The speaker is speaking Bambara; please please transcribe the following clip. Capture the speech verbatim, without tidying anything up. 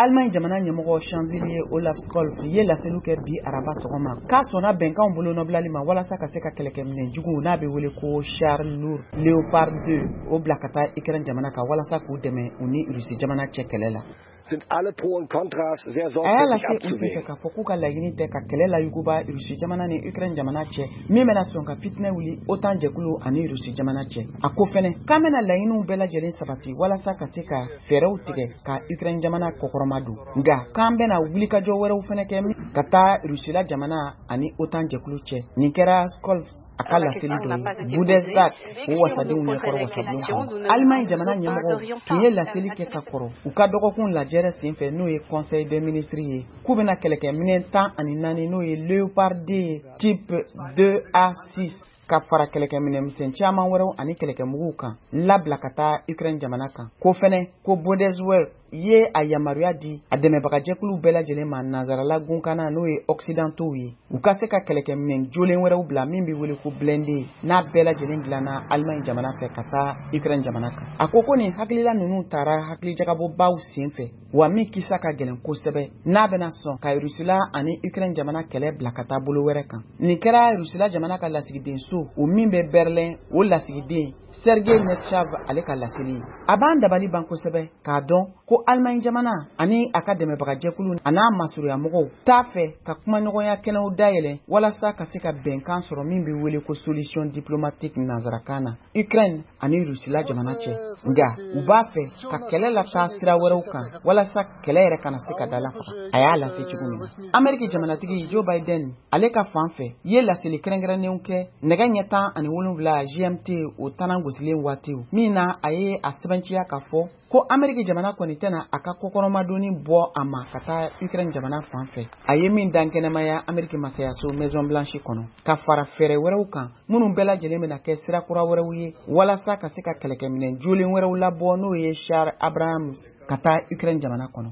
Allemagne jamana ɲɛmɔgɔ, chancelier Olaf Scholz, ye laseliw kɛ bi araba sɔgɔma k'a sɔnna bɛnkanw bolonɔbilali ma walasa ka se ka kɛlɛkɛminɛn jugu n'a bɛ wele ko char lourd Leopard deux, o bila ka taa Ukraine jamana kan walasa k'u dɛmɛ u ni Rusi jamana cɛ kɛlɛ la. Sind alle Pro und Kontras sehr A y'a sorgfältig lase u senfɛ abzuwägen. k'a fɔ k'u ka laɲini tɛ ka kɛlɛ layuguba Rusi jamana ni Ukraine jamana cɛ, min bɛna sɔn ka fitinɛ wuli OTAN jɛkulu ani Rusi jamana cɛ. A ko fɛnɛ k'an bɛna laɲiniw bɛɛ lajɛlen sabati walasa ka se ka fɛɛrɛw tigɛ ka Ukraine jamana kɔkɔrɔma don, nka k'an bɛna wulikajɔ wɛrɛw fɛnɛ kɛ ka taa Rusila jamana ani OTAN jɛkulu cɛ. Nin kɛra Scholz a ka laseli dɔ ye Bundestag, o wasadenw ɲɛkɔrɔ wasabulon kɔnɔ. Allemagne jamana ɲɛmɔgɔw tun ye laseli kɛ ka kɔrɔ u ka dɔgɔkun lajɛrɛ senfɛ, n'o ye Conseil des ministres ye, k'u bɛna kɛlɛkɛminɛn tan ani naani, n'o ye Leopard deux type deux A six, ka fara kɛlɛkɛminɛmisɛn caman wɛrɛw ani kɛlɛkɛmuguw kan, labila ka taa Ukraine jamana kan. Ko fɛnɛ ko Bundeswehr ye a yamaruya di a dɛmɛbagajɛkuluw bɛɛ lajɛlen ma nanzarala gunkanna, n'o ye occidentaux ye, u ka se ka kɛlɛkɛminɛn jolen wɛrɛw bila min bɛ wele ko blindé, n'a bɛɛ lajɛlen dilanna Allemagne jamana fɛ, ka taa Ukraine jamana kan. A ko ko nin hakilila ninnu taara hakilijagabɔbaw sen fɛ, wa min kisa ka gɛlɛn kosɛbɛ, n'a bɛna sɔn ka Rusila ani Ukraine jamana kɛlɛ bila ka taa bolo wɛrɛ kan. Nin kɛra Rusila jamana ka lasigidenso, o min bɛ Berlin, o lasigiden Sergei Netchav, ale ka laseli ye. A b'an dabali ban kosɛbɛ k'a dɔn ko Allemagne jamana ani a ka dɛmɛbagajɛkulu a n'a masurunyamɔgɔw t'a fɛ ka kumaɲɔgɔnya kɛnɛw dayɛlɛ walasa ka se ka bɛnkan sɔrɔ min bɛ wele ko solution diplomatique nanzarakan na, Ukraine ani Rusila jamana cɛ, nka u b'a fɛ ka kɛlɛ lataa sira wɛrɛw kan walasa kɛlɛ yɛrɛ kana se ka dalafaga, a y'a lase cogo min na. Ameriki jamanatigi Joe Biden, ale ka fan fɛ, ye laseli kɛrɛnkɛrɛnnenw kɛ nɛgɛ ɲɛ tan ani wolonwula G M T, o tanan gosilen waatiw min na, a ye a sɛbɛnciya k'a fɔ ko Ameriki jamana kɔni tɛna a ka kɔkɔrɔmadonni bɔ a ma ka taa Ukraine jamana fan fɛ, a ye min dan kɛnɛmaya Ameriki masayaso Maison Blanche kɔnɔ, ka fara fɛɛrɛ wɛrɛw kan minnu bɛɛ lajɛlen bɛna kɛ sira kura wɛrɛw ye walasa ka se ka kɛlɛkɛminɛn jolen wɛrɛw labɔ, n'o ye char Abrams, ka taa Ukraine jamana kɔnɔ.